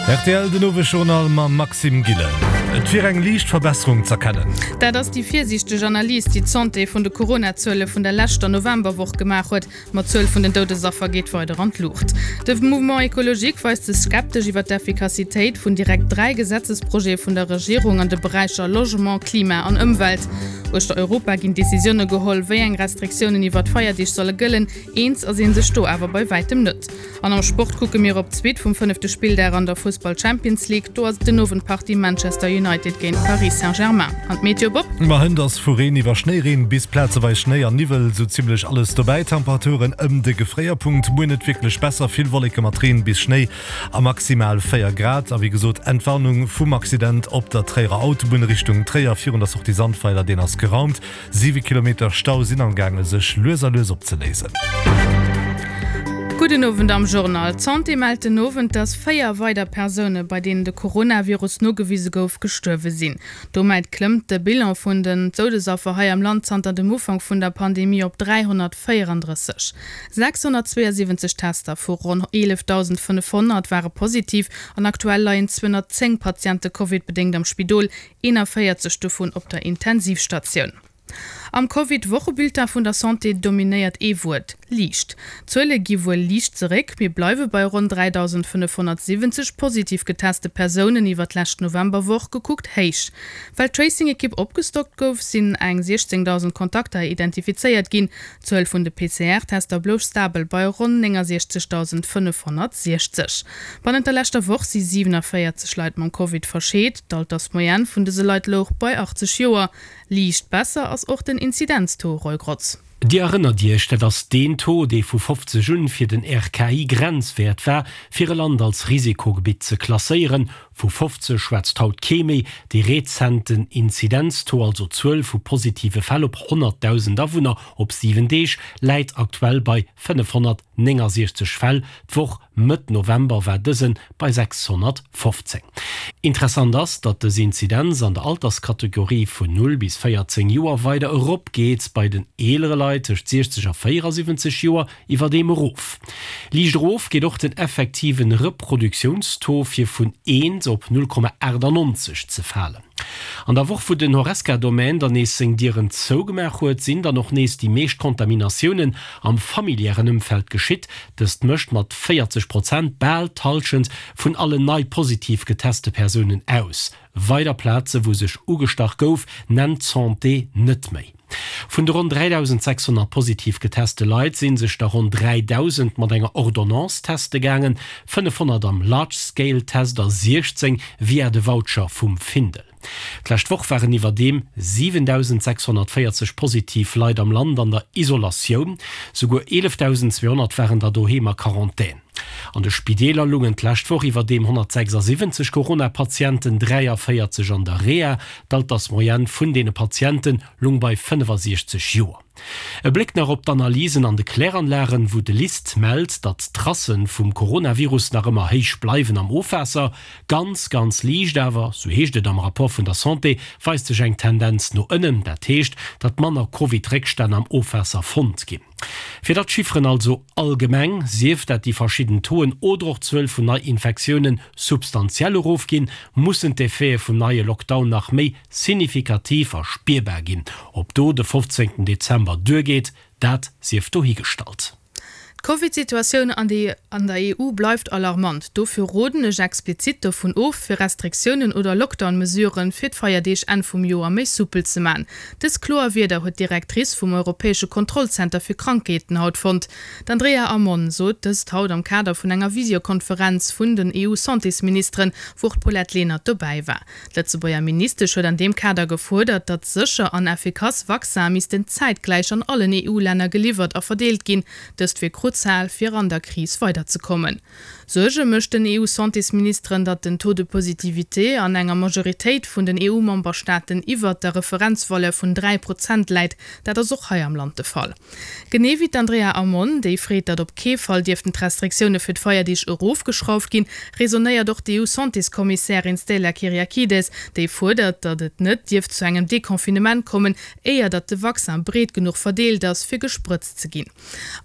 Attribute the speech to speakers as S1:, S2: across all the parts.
S1: Rtl, Den Owesjournal mam Maxime Gillen. Et wier eng liicht Verbesserung z'erkennen.
S2: Dat ass déi virsiichteg Analys, déi d'Santé vun de Corona-Zuele vun der leschter Novemberwoch gemaach huet. Ma d'Zuel vun den Doudesaffer geet weider an d'Luucht. De Mouvement Ecologique weist sech skeptesch iwwer d'Effikassitéit vun direkt 3 Gesetzesprojete vun der Regierung an de Beräicher Logement, Klima an Ëmwelt. Uechter Europa ginn Decisioune geholl, wéi eng Restriktiounen iwwer d'Feierdeeg solle gëllen. Eens ass ee sech do awer bei wäitem net. An am Sport kucke mir op d'Suite vum fënnefte Spilldag an der Fussball Champions League. Do ass et den Owend d'Partie Manchester United géint Paris Saint-Germain. An d'Meteo, Bob?
S1: Ma hënt ass vu Reen iwwer Schnéireen bis plazeweis Schnéi an Niwwel sou zimmlech alles dobäi. Temperaturen ëm de Gefréierpunkt. Muer net wierklech besser, vill Wolleke mat Reen bis Schnéi a maximal 4 Grad. A wéi gesot, Entwarnung vum Accident op der Tréierer Autobunn Richtung Tréier virun der Sortie Sandweiler, deen ass geraumt. 7 Kilometer Stau sinn am gaange sech lues a lues opzeléisen.
S2: Gudden Owend am Journal. D'Santé mellt den Owend, dass 4 weider Persoune, bei deenen de Coronavirus nogewise gouf, gestuerwe sinn. Domat klëmmt de Bilan vun den Doudesaffer hei am Land zanter dem Ufank vun der Pandemie op 334. 672 Tester vu ronn 11.500 ware positiv an aktuell leien 210 Patiente Covid-bedéngt am Spidol, 41 dovun op der Intensivstatioun. Am Covid-Wochebulletin vun der Santé dominéiert ee Wuert, liicht. D'Zuele gi wuel liicht zeréck, mee bleiwe bei ronn 3.570 positiv geteste Persounen iwwer d'lescht Novemberwoch gekuckt héich. Well d'Tracing-Ekipp opgestockt gouf, sinn eng 16.000 Kontakter identifizéiert ginn. D'Zuel vun de PCR-Tester blouch stabel bei ronn 69.560. Bannent der leschter Woch si 47 Leit mam Covid verscheet. D'Altersmoyenne vun dëse Leit louch bei 80 Joer. Liicht besser ass och den Inzidenztaux, Roy Grotz.
S3: Dir erënnert Iech, dat ass deen Taux, dee vu 50 un fir den RKI Grenzwäert war, fir e Land als Risikogebitt ze klasséieren. Vu 50 schwätzt haut kee méi. Dee rezenten Inzidenztaux, also d'Zuel vu positive Fäll op 100.000 Awunner op 7 Deeg, läit aktuell bei 569 Fäll. D'Woch Mëtt November war dëse bei 615. Interessant ass, datt dës Inzidenz an der Alterskategorie vun 0 bis 14 Joer weider erop geet, bei den eelere Leit tëscht 60 a 74 Joer Iwwerdeem erof. Liicht erof geet och den effektiven Reproduktiounstaux, fir vun eent op 0,98 ze falen. An der Woch wou den Horesca-Domaine dann nees seng Dieren zougemaach huet, sinn dann och nees déi meescht Kontaminatiounen am familiären Ëmfeld geschitt. Dëst mécht mat 40 Prozent bal d'Hallschent vun allen nei positiv geteste Persounen aus. Weider Plaze wou sech ugestach gouf, nennt d'Santé net méi. Vun de ronn 3.600 positiv geteste Leit si sech der ronn 3.000 mat enger Ordonnance teste gaangen, 500 am Large-Scale-Test a 16 via de Voucher vum Findel. D'lescht Woch waren iwwerdeem 7.640 positiv Leit am Land an der Isolatioun, souguer 11.200 waren der doheem a Quarantän. An de Spideeler lungen d'lescht Woch iwwerdeem 176 Corona-Patienten, 43 an der Reha. D'Altersmoyenne vun deene Patiente lung bei 65 Joer. E Bléck nach op d'Analysen an de Kläranlagen, wou de LIST mellt, datt d'Tracë vum Coronavirus nach ëmmer héich bleiwen am Ofwaasser. Ganz, ganz liicht awer, sou heescht et am Rapport vun der Santé, weist sech eng Tendenz no ënnen. Dat heescht, datt manner Covid-Réckstänn am Ofwaasser fonnt ginn. Fir datt d'Chifferen also allgemeng, sief dat déi verschidden Tauxen oder och d'Zuel vun Neiinfektiounen, substantiell erofginn, mussen d'Effete vum neie Lockdown nach méi signifikativ a spierbar ginn. Ob do de 15 Dezember duergeet, dat sief dohigestallt.
S2: D'Covid-Situatioun an an der EU bleift alarmant. Dofir roden ech explizit dovun of, fir Restriktiounen oder Lockdown-Mesuren fir d'Feierdeeg Enn vum Joer méi soupel ze man. Dës kloer Wierder huet d'Directrice vum europäesche Kontrollzenter fir Krankheeten haut fonnt. D'Andrea Ammon sot dëst haut am Kader vun enger Visiokonferenz vun den EU-Santésministeren, wou och d'Paulette Lenert dobäi war. D'Lëtzebuerger Ministesch huet an deem Kader gefuerdert, datt sécher an effikass Vaccin missten zäitgläich an allen EU-Länner geliwwert a verdeelt ginn. Dëst wier kruzial, fir an der Kris weiderzekommen. Suerge mécht den EU-Santésministeren, datt den Taux de positivité an enger Majoritéit vun den EU-Memberstaaten iwwert der Referenzvaleur vun 3 Prozent läit. Dat ass och hei am Land de Fall. Genee wéi d'Andrea Ammon, déi freet, datt op kee Fall dierften d'Restriktioune fir d'Feierdeeg erofgeschrauft ginn, raisonnéiert och d'EU-Santéskommissärin Stella Kyriakides, déi fuerdert, datt et net dierft zu engem Deconfinement kommen, éier datt de Vaccin breet genuch verdeelt ass, fir gesprëtzt ze ginn.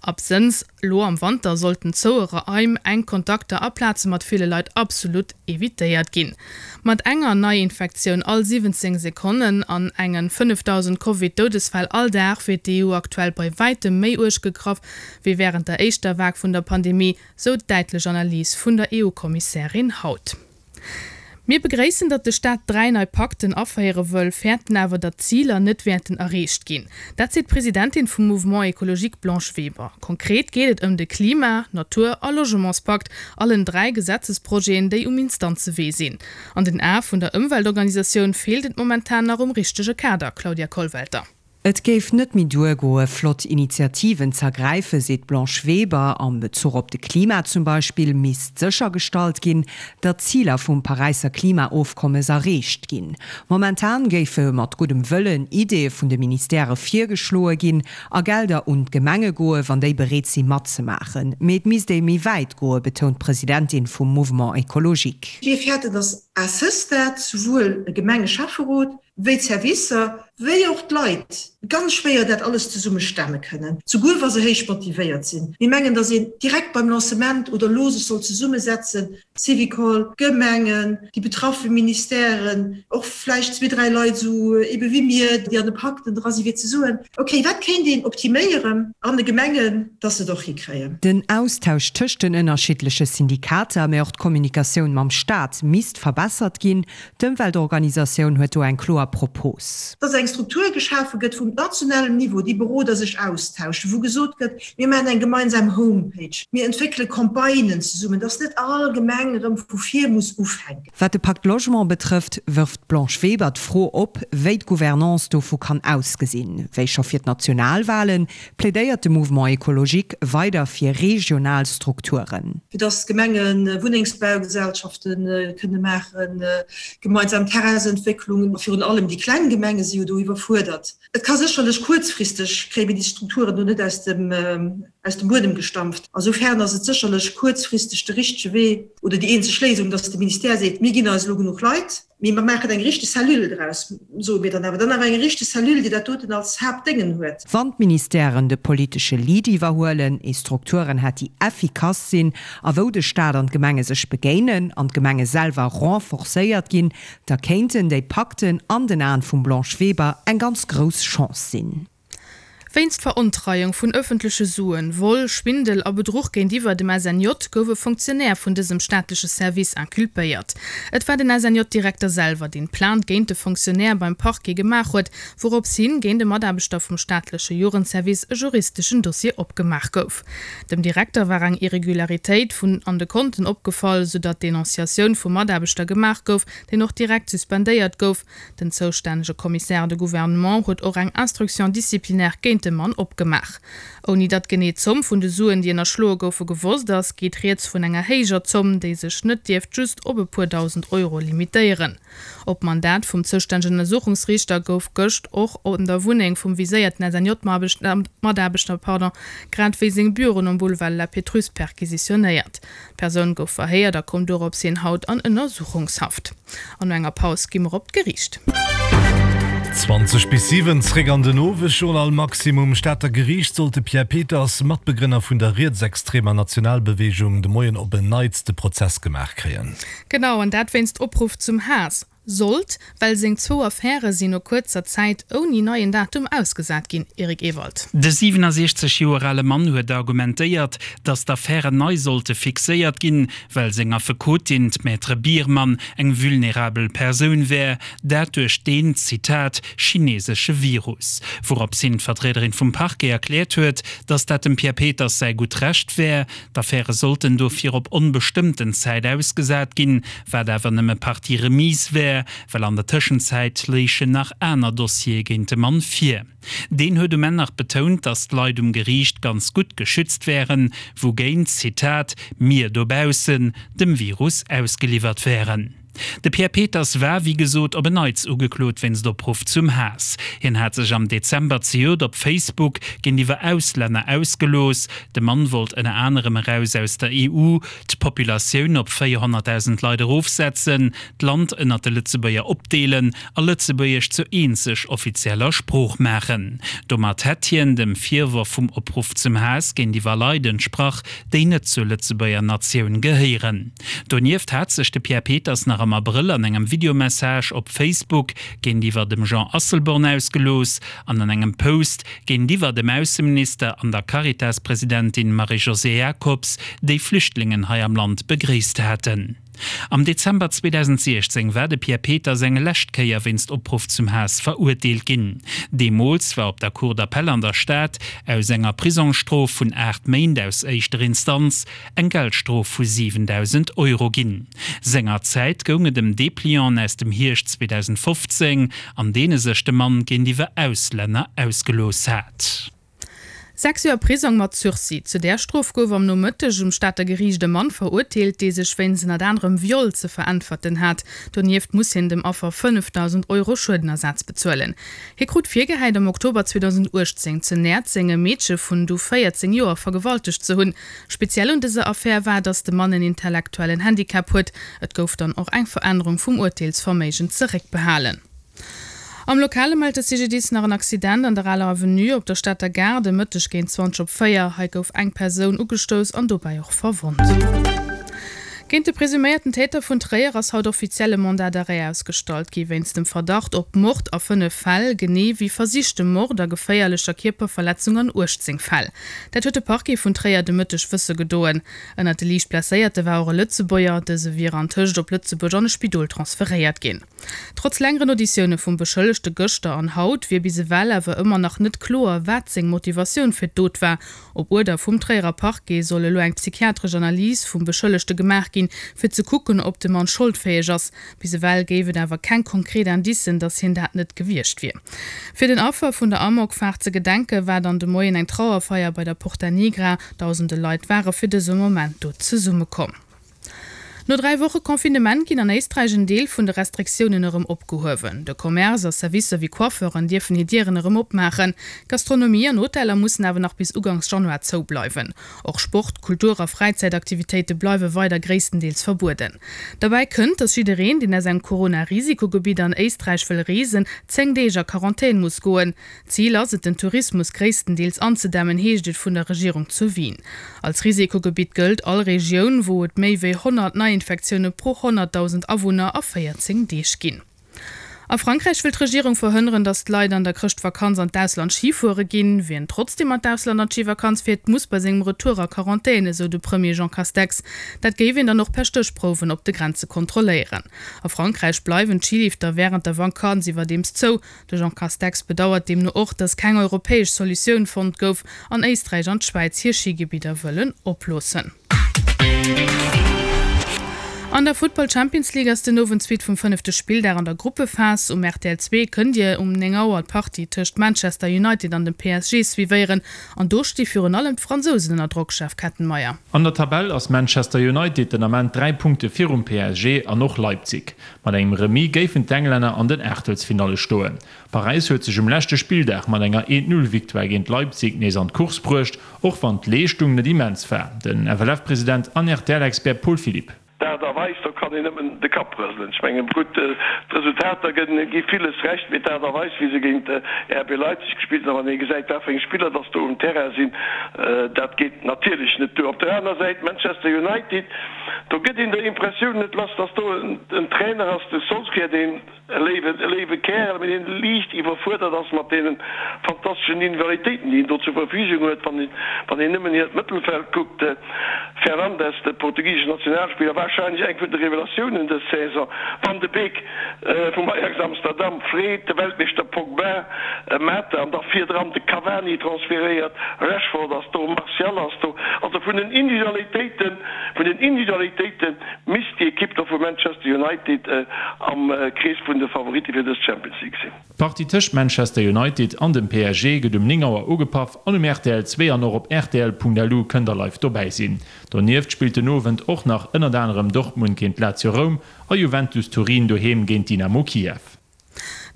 S2: Absënns. Elo am Wanter sollten zoue Raim, enk Kontakter a Plaze mat ville Leit absolut evitéiert ginn. Mat enger Neiinfektioun all 17 Sekonnen an engen 5.000 Covid-Doudesfäll all Dag wier d'EU aktuell bei wäitem méi uerg gegraff wéi wärend der éischter Vague vun der Pandemie, sou d'däitlech Analys vun der EU-Kommissärin haut. Mir begréissen, datt de Staat 3 nei Pakten aféiere wëll, fäerten awer, datt d'Ziler net wäerten erreecht ginn. Dat seet d'Presidentin vum Mouvement Ecologique Blanche Weber. Konkret geet et ëm de Klima-, Natur a Logementspakt, allen 3 Gesetzesprojeten, déi um Instanzewee sinn. An den Ae vun der Ëmweltorganisatioun feelt et momentan nach um richtege Kader, Claudia Kollwelter.
S4: Et géif net méi duergoe flott Initiativen z'ergräifen, seet d'Blanche Weber. Am Bezuch op de Klima zum Beispill misst séchergestallt ginn, datt d'Ziler vum Paräisser Klimaofkommes erreecht ginn. Momentan géife mat guddem Wëllen Ideeë vun de Ministèrë virgeschloe ginn a Gelder un d'Gemenge goe wann déi bereet si matzemaachen. Mee et misst ee méi wäit goe, betount d'Presidentin vum Mouvement Ecologique.
S5: Mir fäerten, datt à ce stade souwuel e Gemengeschäfferot wéi d'Servicer, wéi och d'Leit ganz schwéier dat alles zesumme stemme kënnen, souguer wa se héich motivéiert sinn. Mir mengen, dass een direkt beim Lancement oder elo sech soll zesummesetzen, Syvicol, d'Gemengen, déi betraffe Ministèren, och vläicht zwee, dräi Leit esou ebe wéi mir, déi an de Pakten dra sinn, fir ze soen, okay, wat kéint een optiméieren an de Gemengen, dass se et och hikréien.
S4: Den Austausch tëscht den ënnerschiddleche Syndikater, mä och d'Kommunikatioun mam Staat misst verbessert ginn, D'Ëmweltorganisatioun huet do eng kloer Propos.
S5: Dass eng Struktur geschafe gëtt, wou um nationalem Niveau déi Beroder sech austauschen, wou gesot gëtt, mir maachen eng gemeinsam Homepage, mir entwéckele Campagnen zesummen, dass net all Gemeng erëm vu vir muss ufänken.
S4: Wat de Pacte Logement betrëfft, wërft d'Blanche Weber d'Fro op, wéi d'Gouvernance dovu kann ausgesinn. Wéi scho fir d'Nationalwalen, plädéiert de Mouvement Ecologique weider fir regional Strukturen.
S5: Fir dass d'Gemenge Wunnengsbaugesellschafte kënne maachen, gemeinsam Terrainsentwécklungen, a virun allem déi kleng Gemenge si jo do iwwerfuerdert. Et ka sécherlech kuerzfristeg, kréie mir déi Strukturen do net aus dem aus dem Buedem gestampft. A soufern ass et sécherlech kuerzfristeg de richtege Wee oder déi eenzeg Léisung, dass de Ministère seet, mir ginn eis elo genuch Leit, Mee mer maachen eng richteg Cellule draus, soe mir dann awer. Dann awer eng richteg Cellule, déi dat doten als Haaptdéngen huet.
S4: Wann d'Ministèren de politesche Lead iwwerhuelen, ee Strukturen hätt, déi effikass sinn a wou de Staat an d'Gemenge sech begéinen an d'Gemenge selwer renforcéiert ginn, da kéinten déi Pakten an den Aen vum Blanche Weber eng ganz grouss Chance sinn.
S2: Wéinst Verontreiung vun ëffentleche Suen, Vol, Schwindel a Bedruch géintiwwer dem SNJ gouf e Fonctionnaire vun dësem staatleche Service inculpéiert. Et war den SNJ-Direkter selwer, deen d'Plainte géint de Fonctionnaire beim Parquet gemaach huet, wourops hin géint e Mataarbechter vum staatleche Jugendservice e juristeschen Dossier opgemaach gouf. Dem Direkter war eng Irregularitéit vun an de Konten opgefall, soudatt d'Denonciatioun vum Mataarbechter gemaach gouf, deen och direkt suspendéiert gouf. Den zoustännege Commissaire de Gouvernement huet och eng Instruction disciplinaire géint de Mann opgemaach. Ouni datt genee d'Zomm vun de Suen, déi ënnerschloe goufe, gewosst ass, geet rieds vun enger héijer Zomm, déi sech net dierft just op e puer 1.000 Euro limitéieren. Op Mandat vum zoustännegen Ënnersuchungsriichter gouf gëscht och an der Wunneng vum viséierten SNJ-Mataarbechter, grad wéi seng Büroen um Boulevard de la Pétrusse perquisitionéiert. D'Persoun gouf verhéiert a koum dorops hin haut an Ënnersuchungshaft. An no enger Paus gi mer op d'Geriicht.
S1: 20 bis 7, Zréck an den Owesjournal. Maximum Stater Geriicht sollt de Pierre Peters, Matbegrënner vun der rietsextremer Nationalbeweegung, de Moien op en Neits de Prozess gemaach kréien.
S2: Genau, an dat wéinst Opruff zum Haass. Sollt, well seng zwou Affäre sinn no kuerzer Zäit ouni neien Datum ausgesat ginn. Eric Ewald.
S6: De 67 Joer ale Mann huet argumentéiert, datt d'Affären nei sollte fixéiert ginn, well seng Affekotin, d'Maître Biermann, eng vulnerabel Persoun wär, dat duerch deen, Zitat, chinesesche Virus. Wourops hin d'Vertriederin vum Parquet erkläert huet, datt dat dem Pierre Peters säi gutt Recht wär. D'Affäre sollten dofir op onbestëmmten Zäit ausgesat ginn, wat awer nëmme Partie remise wär, well an der Tëschenzäit léichen nach aner Dossiere géint de Mann vir. Deen huet um Enn nach betount, datt d'Leit um Geriicht ganz gutt geschützt wären, wougéint, Zitat, mir dobaussen dem Virus ausgeliwwert wären. De Pierre Peters war, wéi gesot, op en Neits ugeklot wéinst Opruff zum Haass. Hien hat sech am Dezember zejoert op Facebook géintiwwer Auslänner ausgelooss. De Mann wollt ënner anerem eraus aus der EU, d'Populatioun op 400.000 Leit erofsetzen, d'Land ënnert de Lëtzebuerger opdeelen a Lëtzebuergesch zur eenzeg offizieller Sprooch maachen. Domat hätt hien dem Virworf vum Opruff zum Haass géintiwwer Leit entsprach, déi net zur Lëtzebuerger Natioun gehéieren. Donieft hat sech de Pierre Peters nach am Abrëll an engem Videomessage op Facebook géintiwwer dem Jean Asselborn ausgelooss an an engem Post géintiwwer dem Ausseminister an der Caritas-Presidentin Marie-Josée Jacobs, déi Flüchtlingen hei am Land begréisst haten. Am Dezember 2016 war de Pierre Peters eng lescht Kéier wéinst Opruff zum Haass verurteelt ginn. Deemools war op der Cour d'appel an der Stad aus enger Prisongsstrof vun 8 Méint aus éischter Instanz eng Geldstrof vu 7.000 Euro ginn. Sengerzäit goung et ëm Deplianten aus dem Hierscht 2015, an deene sech de Mann géintiwwer Auslänner ausgelooss hat.
S2: 6 Joer Prisong mat Sursis. Zu där Strof gouf am Nomëtteg um Stater Geriicht e Mann verurteelt, dee sech wéinst ënnert anerem Viol ze veräntwerten hat. Donieft muss hien dem Affer 5.000 Euro Schuedenersaz bezuelen. Hie krut virgehäit, am Oktober 2018 zu Näerzeng e Meedche vun du 14 Joer vergewaltegt ze hunn. Speziell un dëser Affär war, datt de Mann en intellektuellen Handicap huet. Et gouf dann och eng Verännerung vum Urteelsverméigen zeréckbehalen. Am Lokale mellt de CGDIS nach en Accident an der Aler Avenue op der Stater Gare de Mëtteg géint 20 op 4. Hei gouf eng Persoun ugestouss an dobäi och verwonnt. Géint de presuméierten Täter vun Tréier ass haut offiziell e Mandat d'arrêt ausgestallt gi wéinst dem Verdacht op Mord a 5 Fäll, genee wéi versichtem Mord a geféierlecher Kierperverletzung an 18 Fäll. Dat huet de Parquet vun Tréier de Mëtteg wësse gedoen. Ënnert de liicht Blesséierte war och e Lëtzebuerger. Dëse wier antëscht op Lëtzebuerg an e Spidol transferéiert ginn. Trotz längeren Auditioune vum Beschëllegte gëschter an haut, wier bis ewell awer ëmmer nach net kloer, wat seng Motivatioun fir d'Dot war. Op Uerder vum Tréierer Parquet soll elo eng psychiatresch Analys vum Beschëllegte gemaach ginn, fir ze kucken, ob de Mann scholdfäeg ass. Bis ewell géif et awer keng konkret Indicen, datt hien dat net gewiescht wier. Fir den Affer vun der Amokfaart ze gedenken, war dann de Moien eng Trauerfeier bei der Porta Nigra. Dausende Leit ware fir dëse Moment do zesummekomm. No 3 Woche Confinement ginn an Éisträich en Deel vun de Restriktiounen erëm opgehuewen. De Commerce a Servicer wéi Coiffeuren dierfen hir Dieren erëm opmaachen. Gastronomie an Hoteller mussen awer nach bis ugangs Januar zou bleiwen. Och Sport-, Kultur a Fräizäitaktivitéite bleiwe weider gréisstendeels verbueden. Derbäi kënnt, datt jiddereen, deen aus engem Corona-Risikogebitt an Éisträich wëll reesen, 10 Deeg a Quarantän muss goen. Zil ass et, den Tourismus gréisstendeels anzedämmen, heescht et vun der Regierung zu Wien. Als Risikogebitt gëllt all Regioun, wou et méi wéi 100 Neiinfektioune pro 100.000 Awunner a 14 Deeg ginn. A Frankräich wëll d'Regierung verhënneren, datt d'Leit an der Chrëschtvakanz an d'Ausland Schi fuere ginn. Wien trotzdeem an d'Ausland an d'Schivakanz fiert, muss bei sengem Retour a Quarantän, esou de Premier Jean Castex. Dat géif een dann och per Stéchprouwen op de Grenze kontrolléieren. A Frankräich bleiwen d'Schilifter wärend der Vakanz iwwerdeems zou. De Jean Castex bedauert deemno och, datt keng europäesch Solutioun fonnt gouf an Éisträich an d'Schwäiz hir Schigebidder wëllen oploossen. An der Futtball Champions League ass den Owend d'Suite vum fënnefte Spilldag an der Gruppephas. Um rtl 2 kënnt Dir um 9 Auer d'Partie tëscht Manchester United an dem PSG suivéieren. An do sti virun allem d'Fransousen ënner Drock, Jeff Kettenmeyer.
S7: An der Tabell ass Manchester United den Ament 3 Punkte virum PSG an och Leipzig. Mat engem Remis géifen d'Englänner an den Aachtelsfinalle stoen. Paräis huet sech um leschte Spilldag mat enger Eent-Null-Victoire géint Leipzig nees an d'Course bruecht, och wann d'Leeschtung net immens war. Den FLF-President an RTL-Expert Paul Philipp.
S8: D'Aart a Weis, do kann een nëmmen de Kapp rëselen. Ech mengen, gutt, d'Resultater gi villes Recht, mee d'Aart a Weis, wéi se géint RB Leipzig gespillt hunn, a wann ee gesäit, wat fir eng Spiller dass do um Terrain sinn, dat geet natierlech net duer. Op der aner Säit Manchester United, Do gëtt een der Impressioun net lass, dass do en Trainer ass, de Solskjaer, deen e léiwe, e léiwe Kärel, mee deen liicht iwwerfuerdert ass mat deene fantasteschen Individualitéiten, déi en do zur Verfügung huet. Wann een, wann een nëmmen hiert Mëttelfeld kuckt, Fernandes, de portugiseschen Nationalspiller, warscheinlech eng vun de Revelatiounen dës Saison, Van de Beek vum Ajax Amsterdam, Fred, de Weltmeeschter Pogba, Mata an da virdran de Cavani transferéiert, Rashford ass do, Martial ass do. Also vun den Individualitéiten, Vun den Individualitéite misst déi Ekipp da vu Manchester United am Krees vun de Favoritte fir dës Champions League sinn.
S7: D'Partie tëscht Manchester United an dem PSG gëtt um 9 Auer ugepaff an um rtl 2 an och op rtl.lu kënnt der live dobäi sinn. Donieft spillt den Owend och nach ënnert anerem Dortmund. Dortmund géint Lazio Roum a Juventus Turin doheem géint Dynamo Kiew.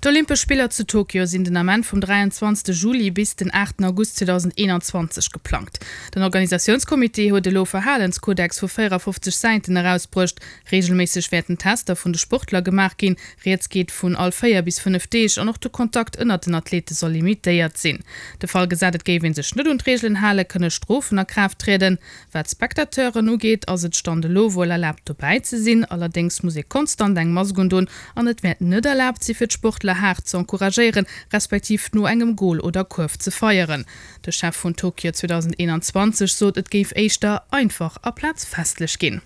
S2: D'Olympesch Spiller zu Tokio sinn den Ament vum 23 Juli bis den 8 August 2021 geplangt. Den Organisatiounscomité huet elo e Verhalenskodex vu 54 Säiten erausbruecht. Reegelméisseg wäerten Tester vun de Sportler gemaach ginn, Rieds geet vun all 4 bis 5 Deeg an och de Kontakt ënnert den Athlete soll limitéiert sinn. De Fall gesat et géif ee sech net un d'Reegelen halen, kënne Strofen a Kraaft trieden. Wat d'Spectateuren ugeet, ass et Stand elo wuel erlaabt dobäi ze sinn, allerdéngs muss ee konstant eng Mask undon an et wäert net erlaabt si fir d'Sportler haart ze encouragéieren, respektiv no engem Gol oder Kuerf ze feieren. De Chef vun Tokio 2021 sot, et géif éischter einfach aplaz festlech ginn.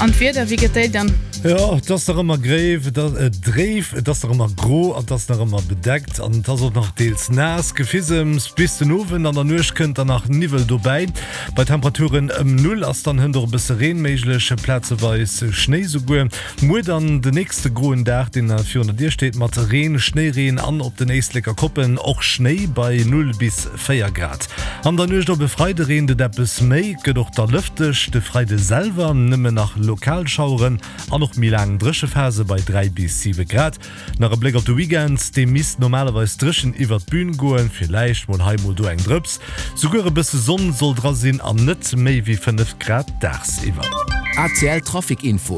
S2: An d'Wieder, wéi gëtt déi dann?
S1: Jo, et ass nach ëmmer gréif, et ass dréif, et ass nach ëmmer gro an et ass nach ëmmer bedeckt an et ass och nach deels naass. Gefisems bis den Owend, an der Nuecht kënnt dann nach Niwwel dobäi. Bei Temperaturen ëm Null ass dann hënt och e bësse Reen méiglech, plazeweis Schnéi souguer. Muer dann de nächste groen Dag, deen virun der Dier steet, mat Reen, Schnéireen an op den Éisleker Koppen och Schnéi bei 0 bis 4 Grad. An der Nuecht op e Freide reent et eppes méi, et gëtt och da lëfteg. De Freide selwer nëmme nach lokal Schaueren an och méi laang Dréchephase bei 3 bis 7 Grad. Nach e Bléck op de Weekend, dee misst normalerweis dréchen iwwert d'Bün goen, villäicht mol hei mol do eng Drëps, souguer e bësse Sonn soll dra sinn an net méi wéi 5 Grad dagsiwwer.
S9: ACL Trafic Info.